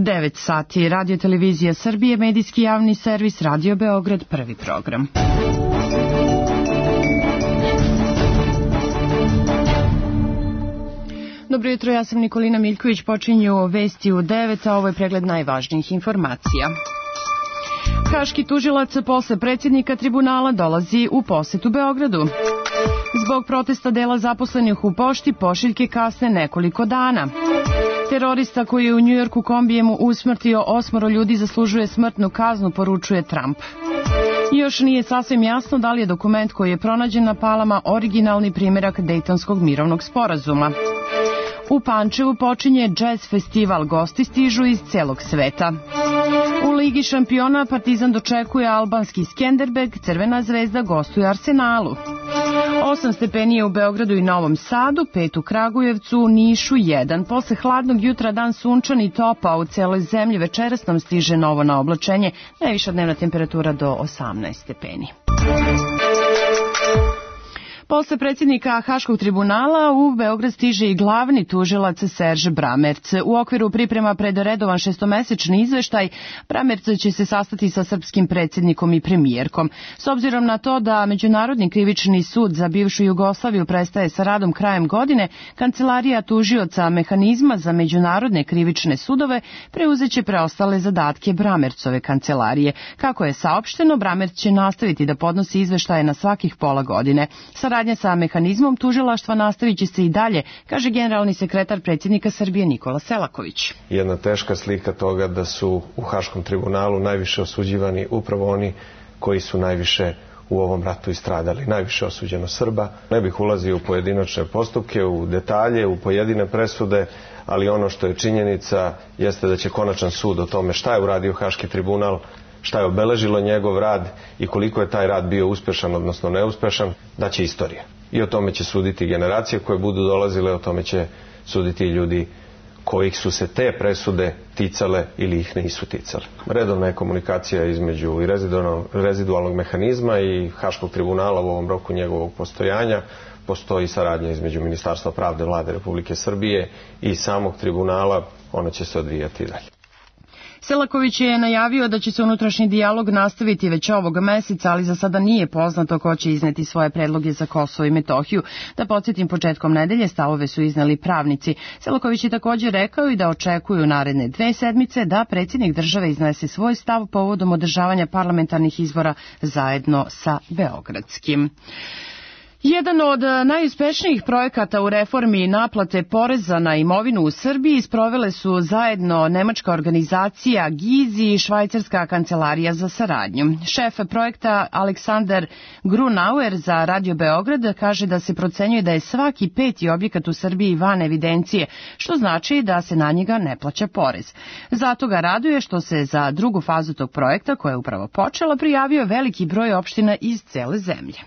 9 sati. Radio Televizija Srbije, medijski javni servis, Radio Beograd, prvi program. Dobro jutro, ja sam Nikolina Miljković, počinju vesti u 9, a ovo je pregled najvažnijih informacija. Haški tužilac posle predsjednika tribunala dolazi u posetu Beogradu. Zbog protesta dela zaposlenih u pošti pošiljke kasne nekoliko dana. Terorista koji je u Njujorku kombijem usmrtio 8 ljudi zaslužuje smrtnu kaznu, poručuje Trump. Još nije sasvim jasno da li je dokument koji je pronađen na Palama originalni primjerak Dejtonskog mirovnog sporazuma. U Pančevu počinje džez festival, gosti stižu iz celog sveta. U Ligi šampiona Partizan dočekuje albanski Skenderbeg, Crvena zvezda gostuje Arsenalu. 8 stepeni je u Beogradu i Novom Sadu, 5 u Kragujevcu, Nišu 1. Posle hladnog jutra dan sunčan i topao u celoj zemlji, večeras nam stiže novo na oblačenje, najviša dnevna temperatura do 18 stepeni. Posle predsjednika Haškog tribunala u Beograd stiže i glavni tužilac Serge Bramerc. U okviru priprema pred redovan šestomesečni izveštaj, Bramerc će se sastati sa srpskim predsjednikom i premijerkom. S obzirom na to da Međunarodni krivični sud za bivšu Jugoslaviju prestaje sa radom krajem godine, Kancelarija tužioca mehanizma za međunarodne krivične sudove preuzeće preostale zadatke Bramercove kancelarije. Kako je saopšteno, Bramerc će nastaviti da podnosi izveštaje na svakih pola godine. Saradnja sa mehanizmom tužilaštva nastavit će se i dalje, kaže generalni sekretar predsjednika Srbije Nikola Selaković. Jedna teška slika toga da su u Haškom tribunalu najviše osuđivani upravo oni koji su najviše u ovom ratu istradali, najviše osuđeno Srba. Ne bih ulazio u pojedinačne postupke, u detalje, u pojedine presude, ali ono što je činjenica jeste da će konačan sud o tome šta je uradio Haški tribunal, šta je obeležilo njegov rad i koliko je taj rad bio uspešan, odnosno neuspešan, da će istorija. I o tome će suditi generacije koje budu dolazile, o tome će suditi i ljudi kojih su se te presude ticale ili ih nisu ticale. Redovna je komunikacija između i rezidualnog mehanizma i Haškog tribunala u ovom roku njegovog postojanja. Postoji saradnja između Ministarstva pravde Vlade Republike Srbije i samog tribunala, ona će se odvijati dalje. Selaković je najavio da će se unutrašnji dijalog nastaviti već ovog meseca, ali za sada nije poznato ko će izneti svoje predloge za Kosovo i Metohiju. Da podsjetim, početkom nedelje stavove su izneli pravnici. Selaković je također rekao i da očekuju naredne 2 sedmice da predsjednik države iznese svoj stav povodom održavanja parlamentarnih izbora zajedno sa beogradskim. Jedan od najuspešnijih projekata u reformi naplate poreza na imovinu u Srbiji sprovele su zajedno nemačka organizacija GIZ i švajcarska kancelarija za saradnju. Šef projekta Aleksandar Grunauer za Radio Beograd kaže da se procenjuje da je svaki 5. objekat u Srbiji van evidencije, što znači da se na njega ne plaća porez. Zato ga raduje što se za drugu fazu tog projekta, koja je upravo počela, prijavio veliki broj opština iz cele zemlje.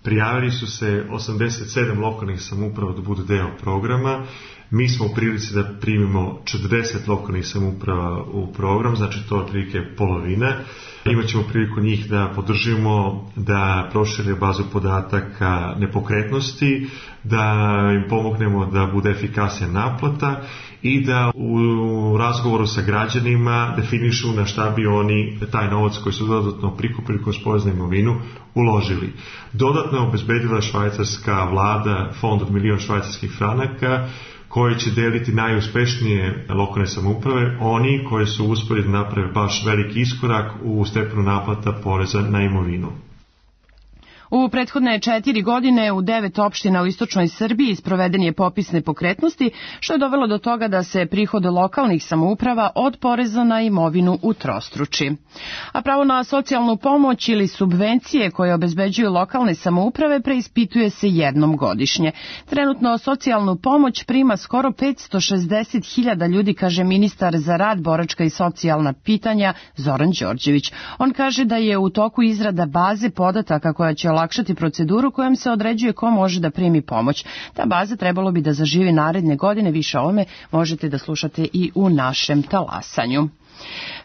Prijavili su se 87 lokalnih samouprava da budu deo programa. Mi smo u prilici da primimo 40 lokalnih samouprava u program, znači to je otprilike polovina. Imaćemo priliku njih da podržimo, da prošire bazu podataka nepokretnosti, da im pomognemo da bude efikasnija naplata i da u razgovoru sa građanima definišu na šta bi oni taj novac koji su dodatno prikupili kroz porez na imovinu uložili. Dodatno je obezbedila švajcarska vlada fond od 1 milion švajcarskih franaka koji će deliti najuspešnije lokalne samouprave, oni koji su uspjeli da naprave baš veliki iskorak u stepenu naplata poreza na imovinu. U prethodne 4 godine u 9 opština u istočnoj Srbiji sproveden je popis nepokretnosti, što je dovelo do toga da se prihod lokalnih samouprava od poreza na imovinu utrostruči. A pravo na socijalnu pomoć ili subvencije koje obezbeđuju lokalne samouprave preispituje se jednom godišnje. Trenutno socijalnu pomoć prima skoro 560.000 ljudi, kaže ministar za rad, boračka i socijalna pitanja Zoran Đorđević. On kaže da je u toku izrada baze podataka koja će olakšati proceduru kojom se određuje ko može da primi pomoć. Ta baza trebalo bi da zaživi naredne godine. Više o ovome možete da slušate i u našem talasanju.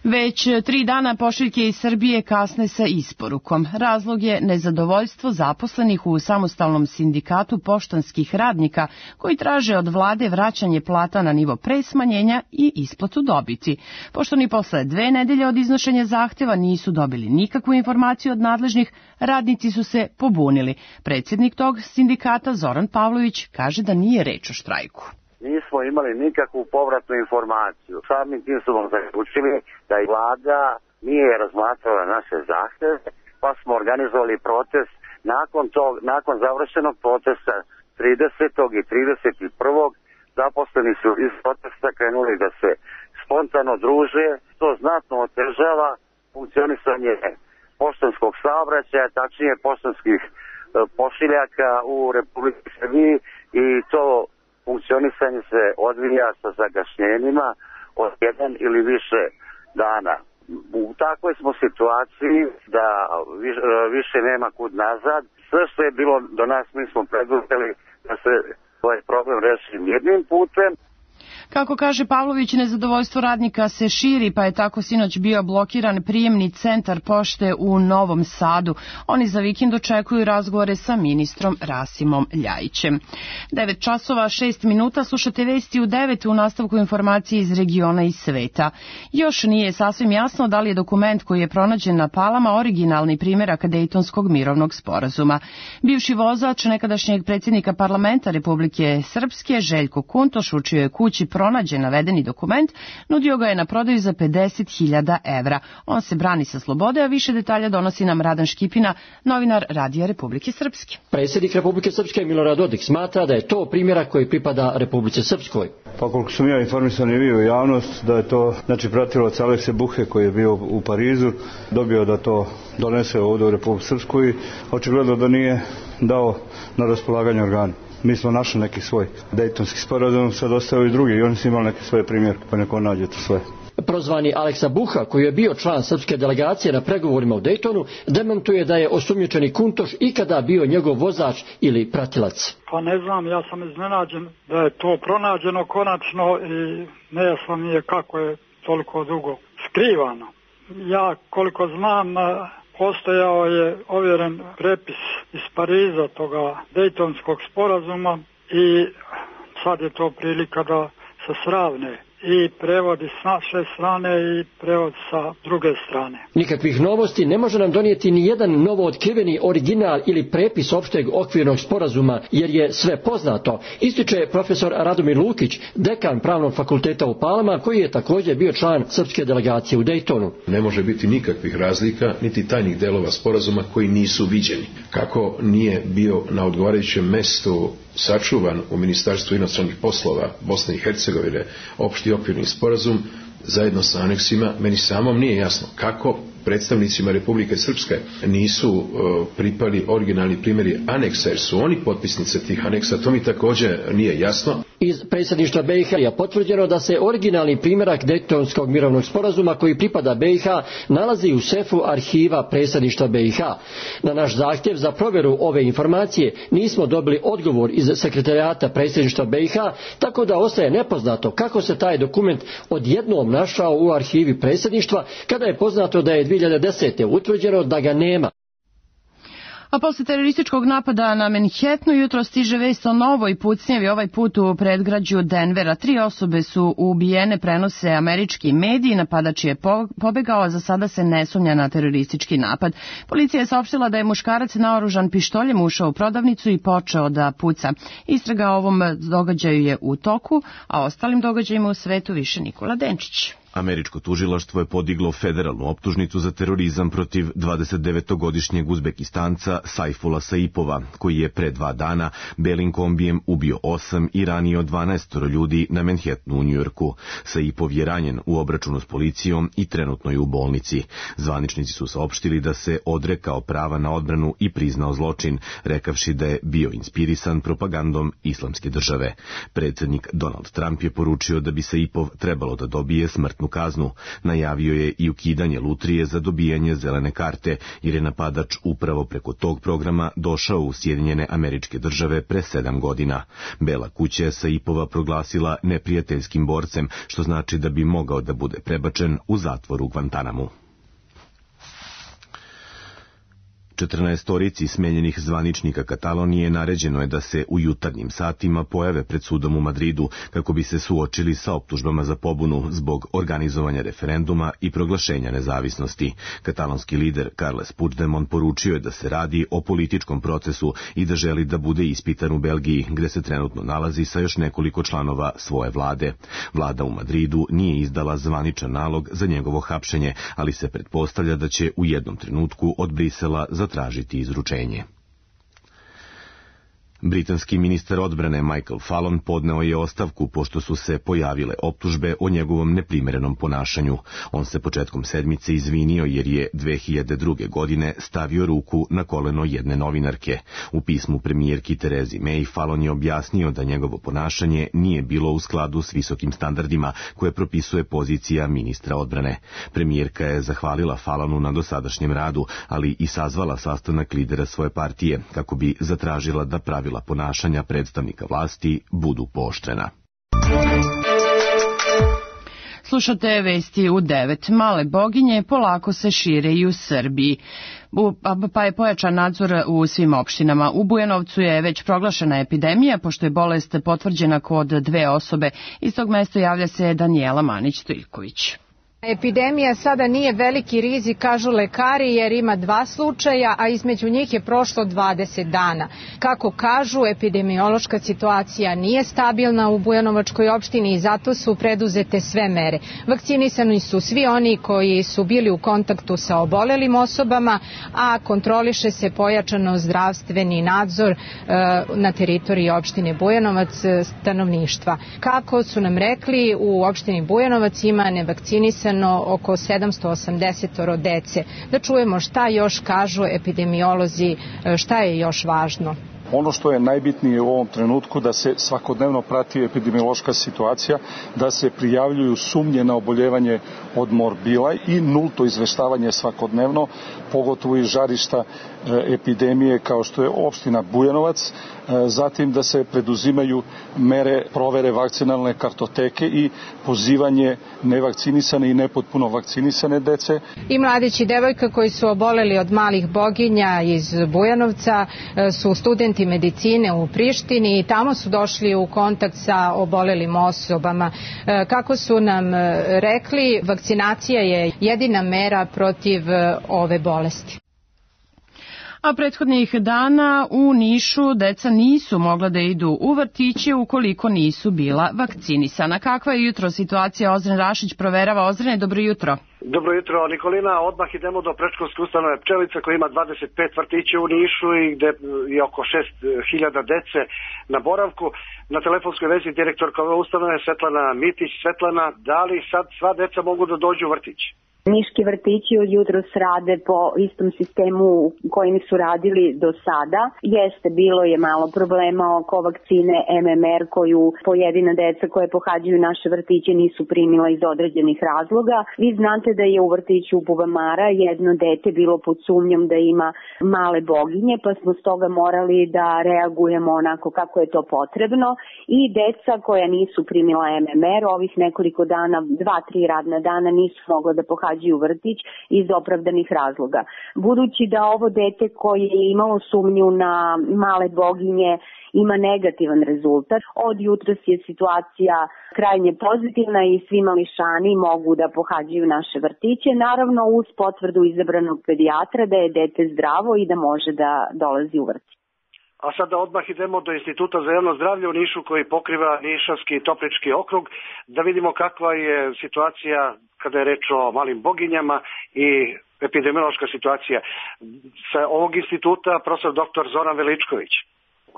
Već 3 dana pošiljke iz Srbije kasne sa isporukom. Razlog je nezadovoljstvo zaposlenih u samostalnom sindikatu poštanskih radnika koji traže od vlade vraćanje plata na nivo pre smanjenja i isplatu dobiti. Pošto ni posle 2 nedelje od iznošenja zahteva nisu dobili nikakvu informaciju od nadležnih, radnici su se pobunili. Predsjednik tog sindikata Zoran Pavlović kaže da nije reč o štrajku. Nismo imali nikakvu povratnu informaciju. Samim tim smo zaključili da i vlada nije razmatrala naše zahteve, pa smo organizovali protest. Nakon završenog protesta 30. i 31. zaposleni su iz protesta krenuli da se spontano druže, što znatno otežava funkcionisanje poštanskog saobraćaja, tačnije poštanskih pošiljaka u Republici Srbiji, i to funkcionisanje se odvija sa zakašnjenjima od 1 ili više dana. U takvoj smo situaciji da više nema kud nazad. Sve što je bilo do nas mi smo preduzeli da se ovaj problem reši jednim putem. Kako kaže Pavlović, nezadovoljstvo radnika se širi, pa je tako sinoć bio blokiran prijemni centar pošte u Novom Sadu. Oni za vikend očekuju razgovore sa ministrom Rasimom Ljajićem. 9 časova 6 minuta, slušate vesti u 9 u nastavku informacije iz regiona i sveta. Još nije sasvim jasno da li je dokument koji je pronađen na Palama originalni primjerak Dejtonskog mirovnog sporazuma. Bivši vozač nekadašnjeg predsjednika parlamenta Republike Srpske, Željko Kuntoš, u čijoj kući pronađen navedeni dokument, nudio ga je na prodaju za 50.000 evra. On se brani sa slobode, a više detalja donosi nam Radan Škipina, novinar Radija Republike Srpske. Predsjednik Republike Srpske Milorad Dodik smatra da je to primjerak koji pripada Republici Srpskoj. Pa koliko sam ja informisan i bio u javnost, da je to pratilac Alekse Buhe koji je bio u Parizu, dobio da to donese ovdje u Republiku Srpsku i očigledno da nije dao na raspolaganje organu. Mi smo našli neki svoj Dejtonski sporazum, sad ostao i drugi i oni su imali neke svoje primjerke, pa neko nađe to sve. Prozvani Aleksa Buha, koji je bio član srpske delegacije na pregovorima u Dejtonu, dementuje da je osumnjičeni Kuntoš ikada bio njegov vozač ili pratilac. Pa ne znam, ja sam iznenađen da je to pronađeno konačno i nejasno mi je kako je toliko dugo skrivano. Ja koliko znam, postojao je ovjeren prepis iz Pariza toga Dejtonskog sporazuma i sad je to prilika da se sravne i prevodi s naše strane i prevod sa druge strane. Nikakvih novosti ne može nam donijeti ni jedan novo otkriveni original ili prepis opšteg okvirnog sporazuma, jer je sve poznato, ističe profesor Radomir Lukić, dekan Pravnog fakulteta u Palama, koji je također bio član srpske delegacije u Dejtonu. Ne može biti nikakvih razlika, niti tajnih delova sporazuma koji nisu viđeni. Kako nije bio na odgovarajućem mestu sačuvan u Ministarstvu inostranih poslova Bosne i Hercegovine opšti okvirni sporazum zajedno sa aneksima, meni samom nije jasno kako predstavnicima Republike Srpske nisu pripali originalni primjeri aneksa, jer su oni potpisnice tih aneksa, to mi također nije jasno. Iz predsjedništva BiH je potvrđeno da se originalni primjerak Dejtonskog mirovnog sporazuma koji pripada BiH nalazi u sefu arhiva predsjedništva BiH. Na naš zahtjev za provjeru ove informacije nismo dobili odgovor iz sekretarijata predsjedništva BiH, tako da ostaje nepoznato kako se taj dokument odjednom našao u arhivi predsjedništva, kada je poznato da je 2010. utvrđeno da ga nema. A posle terorističkog napada na Manhattanu jutro stiže vest o novoj pucnjavi, ovaj put u predgrađu Denvera. 3 osobe su ubijene, prenose američki mediji, napadač je pobegao, a za sada se ne sumnja na teroristički napad. Policija je saopštila da je muškarac naoružan pištoljem ušao u prodavnicu i počeo da puca. Istraga o ovom događaju je u toku, a ostalim događajima u svetu više Nikola Denčić. Američko tužilaštvo je podiglo federalnu optužnicu za terorizam protiv 29-godišnjeg Uzbekistanca Saifula Saipova, koji je pre 2 dana belim kombijem ubio 8 i ranio 12 ljudi na Manhattanu u Njujorku. Saipov je ranjen u obračunu s policijom i trenutno je u bolnici. Zvaničnici su saopštili da se odrekao prava na odbranu i priznao zločin, rekavši da je bio inspirisan propagandom Islamske države. Predsjednik Donald Trump je poručio da bi Saipov trebalo da dobije smrtnu smrtnu kaznu. Najavio je i ukidanje lutrije za dobijanje zelene karte, jer je napadač upravo preko tog programa došao u Sjedinjene Američke Države pre 7 godina. Bela kuća je Saipova proglasila neprijateljskim borcem, što znači da bi mogao da bude prebačen u zatvor u Guantanamu. 14 smenjenih zvaničnika Katalonije naređeno je da se u jutarnjim satima pojave pred sudom u Madridu kako bi se suočili sa optužbama za pobunu zbog organizovanja referenduma i proglašenja nezavisnosti. Katalonski lider Carles Puigdemont poručio je da se radi o političkom procesu i da želi da bude ispitan u Belgiji, gde se trenutno nalazi sa još nekoliko članova svoje vlade. Vlada u Madridu nije izdala zvaničan nalog za njegovo hapšenje, ali se pretpostavlja da će u jednom trenutku od Brisela zatražiti izručenje. Britanski ministar odbrane Michael Fallon podneo je ostavku pošto su se pojavile optužbe o njegovom neprimerenom ponašanju. On se početkom sedmice izvinio jer je 2002. godine stavio ruku na koleno jedne novinarke. U pismu premijerki Terezi May Fallon je objasnio da njegovo ponašanje nije bilo u skladu s visokim standardima koje propisuje pozicija ministra odbrane. Premijerka je zahvalila Fallonu na dosadašnjem radu, ali i sazvala sastanak lidera svoje partije kako bi zatražila da pravila ponašanja predstavnika vlasti budu pooštrena. Slušate vesti u 9. Male boginje polako se šire i u Srbiji, pa je pojačan nadzor u svim opštinama. U Bujanovcu je već proglašena epidemija, pošto je bolest potvrđena kod 2 osobe. Iz tog mesta javlja se Danijela Manić-Stojković. Epidemija sada nije veliki rizik, kažu lekari, jer ima 2 slučaja, a između njih je prošlo 20 dana. Kako kažu, epidemiološka situacija nije stabilna u Bujanovačkoj opštini i zato su preduzete sve mere. Vakcinisani su svi oni koji su bili u kontaktu sa obolelim osobama, a kontroliše se pojačano zdravstveni nadzor na teritoriji opštine Bujanovac stanovništva. Kako su nam rekli, u opštini Bujanovac ima nevakcinisano oko 780 dece. Da čujemo šta još kažu epidemiolozi, šta je još važno. Ono što je najbitnije u ovom trenutku da se svakodnevno prati epidemiološka situacija, da se prijavljuju sumnje na oboljevanje od morbila i nulto izveštavanje svakodnevno, pogotovo iz žarišta epidemije kao što je opština Bujanovac, zatim da se preduzimaju mere provere vakcinalne kartoteke i pozivanje nevakcinisane i nepotpuno vakcinisane dece. I mladić i devojka koji su oboleli od malih boginja iz Bujanovca su studenti medicine u Prištini i tamo su došli u kontakt sa obolelim osobama. Kako su nam rekli, vakcinacija je jedina mera protiv ove bolesti. A prethodnih dana u Nišu deca nisu mogla da idu u vrtiće ukoliko nisu bila vakcinisana. Kakva je jutro situacija? Ozren Rašić proverava. Ozrene, dobro jutro. Dobro jutro, Nikolina. Odmah idemo do predškolske ustanove Pčelica koja ima 25 vrtića u Nišu i gde je oko 6.000 dece na boravku. Na telefonskoj vezi direktorka ove ustanove Svetlana Mitić. Svetlana, da li sad sva deca mogu da dođu u vrtić? Niški vrtići od jutros rade po istom sistemu kojim su radili do sada. Jeste, bilo je malo problema oko vakcine MMR koju pojedina deca koje pohađaju naše vrtiće nisu primila iz određenih razloga. Vi znate da je u vrtiću Bubamara jedno dete bilo pod sumnjom da ima male boginje, pa smo stoga morali da reagujemo onako kako je to potrebno i deca koja nisu primila MMR ovih nekoliko dana, 2-3 radna dana nisu mogla da pohađaju u vrtić iz opravdanih razloga. Budući da ovo dete koje je imalo sumnju na male boginje ima negativan rezultat, od jutros je situacija krajnje pozitivna i svi mališani mogu da pohađaju naše vrtiće, naravno uz potvrdu izabranog pedijatra da je dete zdravo i da može da dolazi u vrtić. A sada odmah idemo do Instituta za javno zdravlje u Nišu koji pokriva Nišavski i Toplički okrug, da vidimo kakva je situacija kada je reč o malim boginjama i epidemiološka situacija. Sa ovog instituta profesor dr. Zoran Veličković.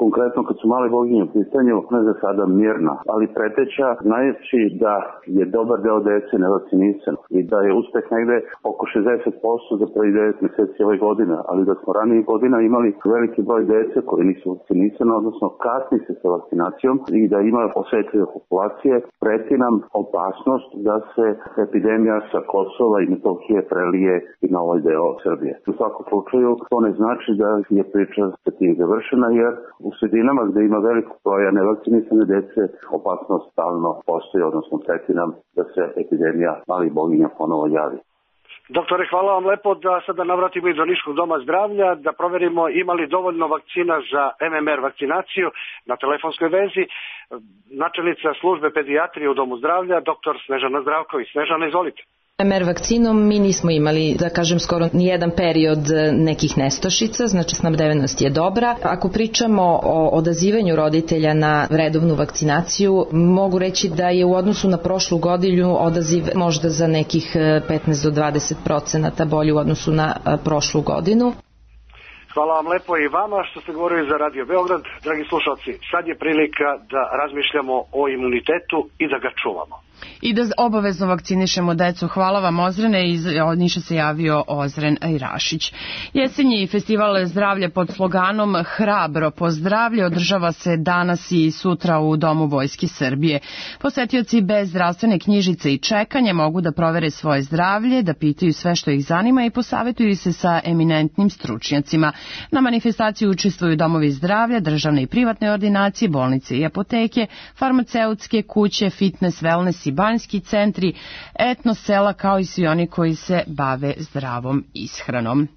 konkretno kad su male boginje u pitanju, ona je za sada mirna, ali preteća, znajući da je dobar deo dece nevakcinisan i da je uspeh negde oko 60% za prvi 9 meseci ove godine, ali da smo ranije godina imali veliki broj dece koji nisu vakcinisani, odnosno kasni se sa vakcinacijom i da ima osetljive populacije, preti nam opasnost da se epidemija sa Kosova i Metohije prelije i na ovaj deo Srbije. U svakom slučaju to ne znači da je priča sa tim završena, jer u sredinama gde ima veliko broja nevakcinisane dece opasnost stalno postoji, odnosno preti nam da se epidemija malih boginja ponovo javi. Doktore, hvala vam lepo da sada navratimo i do Niškog doma zdravlja, da proverimo ima li dovoljno vakcina za MMR vakcinaciju na telefonskoj vezi. Načelnica službe pedijatrije u domu zdravlja, doktor Snežana Zdravković. Snežana, izvolite. MMR vakcinom mi nismo imali, da kažem, skoro nijedan period nekih nestašica, znači snabdevenost je dobra. Ako pričamo o odazivanju roditelja na redovnu vakcinaciju, mogu reći da je u odnosu na prošlu godinu odaziv možda za nekih 15 do 20% bolji u odnosu na prošlu godinu. Hvala vam lepo i vama što ste govorili za Radio Beograd. Dragi slušalci, sad je prilika da razmišljamo o imunitetu i da ga čuvamo. I da obavezno vakcinišemo decu. Hvala vam, Ozrene. Iz Niša se javio Ozren Ajrašić. Jesenji festival zdravlja pod sloganom Hrabro po zdravlje održava se danas i sutra u Domu Vojske Srbije. Posetioci bez zdravstvene knjižice i čekanja mogu da provere svoje zdravlje, da pitaju sve što ih zanima i posavetuju se sa eminentnim stručnjacima. Na manifestaciji učestvuju domovi zdravlja, državne i privatne ordinacije, bolnice i apoteke, farmaceutske kuće, fitness, wellness i banjski centri, etno sela kao i svi oni koji se bave zdravom ishranom.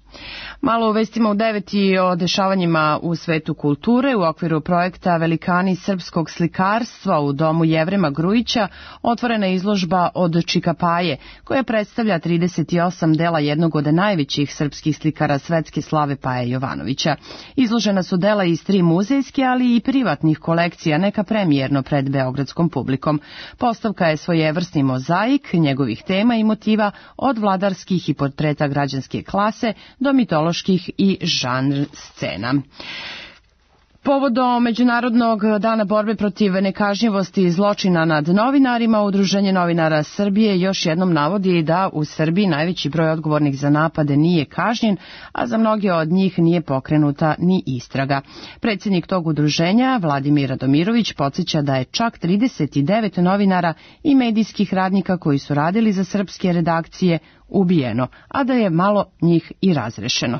Malo u vestima u 9 i o dešavanjima u svetu kulture. U okviru projekta Velikani srpskog slikarstva u domu Jevrema Grujića otvorena izložba od Čikapaje, koja predstavlja 38 dela jednog od najvećih srpskih slikara svetske slave Paje Jovanovića. Izložena su dela iz 3 muzejske, ali i privatnih kolekcija, neka premijerno pred beogradskom publikom. Postavka je svojevrsni mozaik njegovih tema i motiva, od vladarskih i portreta građanske klase do mitoloških i žanr scena. Povodom Međunarodnog dana borbe protiv nekažnjivosti i zločina nad novinarima, Udruženje novinara Srbije još jednom navodi da u Srbiji najveći broj odgovornih za napade nije kažnjen, a za mnoge od njih nije pokrenuta ni istraga. Predsjednik tog udruženja, Vladimir Radomirović, podsjeća da je čak 39 novinara i medijskih radnika koji su radili za srpske redakcije ubijeno, a da je malo njih i razrešeno.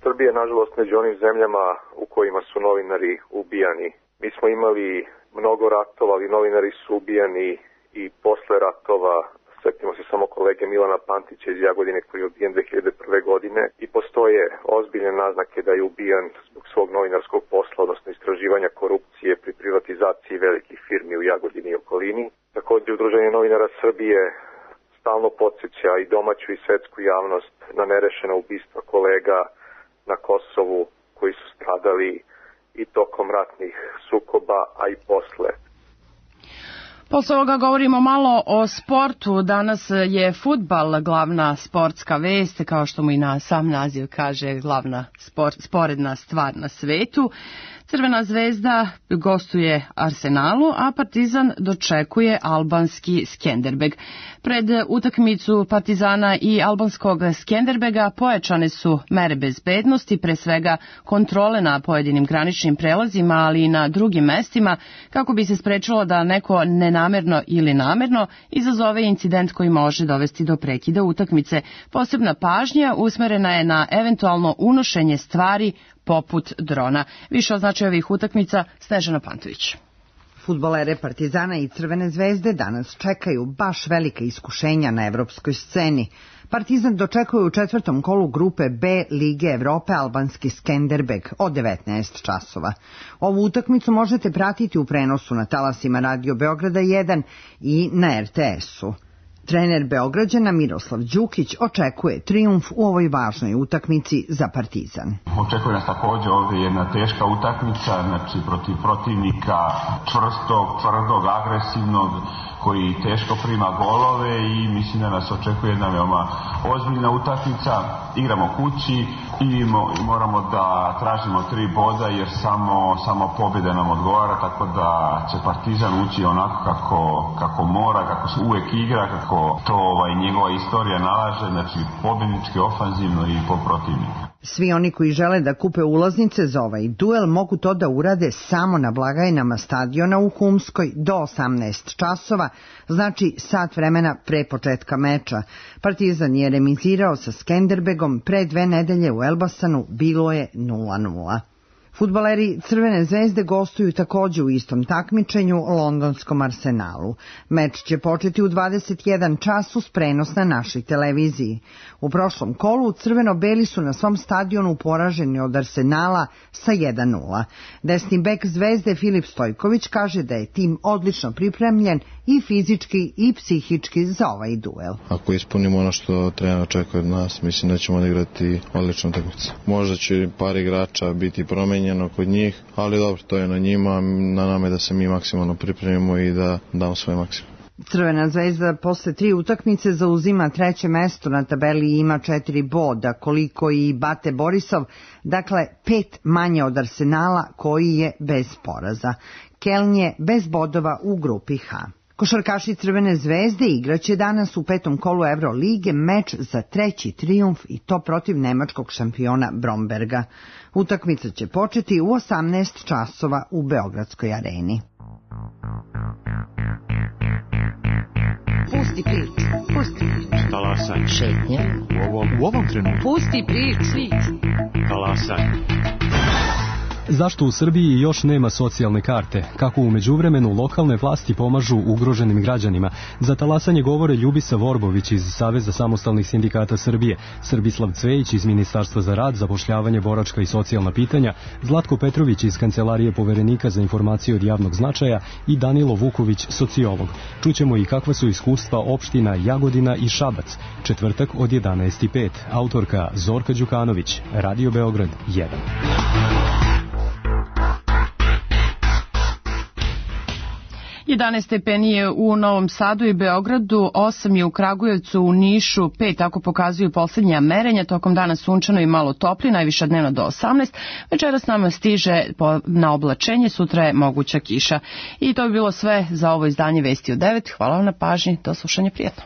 Srbija je, nažalost, među onim zemljama u kojima su novinari ubijani. Mi smo imali mnogo ratova, ali novinari su ubijani i posle ratova. Sjetimo se samo kolege Milana Pantića iz Jagodine koji je ubijen 2001. godine i postoje ozbiljne naznake da je ubijan zbog svog novinarskog posla, odnosno istraživanja korupcije pri privatizaciji velikih firmi u Jagodini i okolini. Također, Udruženje novinara Srbije stalno podsjeća i domaću i svetsku javnost na nerešena ubistva kolega na Kosovu koji su stradali i tokom ratnih sukoba, a i posle. Posle ovoga govorimo malo o sportu. Danas je fudbal glavna sportska vest, kao što mu i na sam naziv kaže, glavna sporedna stvar na svetu. Crvena zvezda gostuje Arsenalu, a Partizan dočekuje albanski Skenderbeg. Pred utakmicu Partizana i albanskog Skenderbega pojačane su mere bezbednosti, pre svega kontrole na pojedinim graničnim prelazima, ali i na drugim mestima, kako bi se sprečilo da neko nenamerno ili namerno izazove incident koji može dovesti do prekida utakmice. Posebna pažnja usmerena je na eventualno unošenje stvari poput drona. Više o značaju ovih utakmica Snežana Pantović. Fudbalere Partizana i Crvene zvezde danas čekaju baš velika iskušenja na evropskoj sceni. Partizan dočekuje u 4. kolu grupe B Lige Evrope albanski Skenderbeg od 19 časova. Ovu utakmicu možete pratiti u prenosu na talasima Radio Beograda 1 i na RTS-u. Trener Beograđana Miroslav Đukić očekuje trijumf u ovoj važnoj utakmici za Partizan. Očekuje nas također ovdje jedna teška utakmica, znači protiv protivnika čvrstog, tvrdog, agresivnog, koji teško prima golove i mislim da nas očekuje jedna veoma ozbiljna utakmica. Igramo kući i moramo da tražimo 3 boda jer samo pobjeda nam odgovara, tako da će Partizan ući onako kako mora, kako se uvek igra, kako to njegova istorija nalaže, znači pobjednički, ofanzivno i po protivniku. Svi oni koji žele da kupe ulaznice za ovaj duel mogu to da urade samo na blagajnama stadiona u Humskoj do 18 časova, znači sat vremena pre početka meča. Partizan je remizirao sa Skenderbegom, pre 2 nedelje u Elbasanu bilo je 0:0. Fudbaleri Crvene zvezde gostuju takođe u istom takmičenju londonskom Arsenalu. Meč će početi u 21 čas uz prenos na našoj televiziji. U prošlom kolu crveno-beli su na svom stadionu poraženi od Arsenala sa 1:0. Desni bek Zvezde Filip Stojković kaže da je tim odlično pripremljen i fizički i psihički za ovaj duel. Ako ispunimo ono što trener očekuje od nas, mislim da ćemo odigrati odličnu utakmicu. Možda će par igrača biti promenjeno kod njih, ali dobro, to je na njima, na nama je da se mi maksimalno pripremimo i da damo svoj maksimum. Crvena zvezda posle 3 utakmice zauzima 3. mesto na tabeli i ima 4 boda, koliko i Bate Borisov, dakle 5 manje od Arsenala koji je bez poraza. Keln je bez bodova u grupi H. Košarkaši Crvene zvezde igraće danas u 5. kolu Evrolige meč za 3. trijumf i to protiv nemačkog šampiona Bromberga. Utakmica će početi u 18 časova u Beogradskoj areni. Pusti priču. Talasaj. Šetnja. U ovom trenutku. Pusti priču. Talasaj. Zašto u Srbiji još nema socijalne karte? Kako u međuvremenu lokalne vlasti pomažu ugroženim građanima? Za talasanje govore Ljubisa Vorbović iz Saveza samostalnih sindikata Srbije, Srbislav Cvejić iz Ministarstva za rad, zapošljavanje, boračka i socijalna pitanja, Zlatko Petrović iz Kancelarije poverenika za informacije od javnog značaja i Danilo Vuković, sociolog. Čućemo i kakva su iskustva opština Jagodina i Šabac. Četvrtak od 11:05. Autorka Zorka Đukanović, Radio Beograd 1. 11 stepeni je u Novom Sadu i Beogradu, 8 je u Kragujevcu, u Nišu, 5, tako pokazuju poslednja merenja, tokom dana sunčano i malo topli, najviša dnevno do 18, večeras nama stiže na oblačenje, sutra je moguća kiša. I to bi bilo sve za ovo izdanje Vesti u 9, hvala vam na pažnji, do slušanja, prijatno.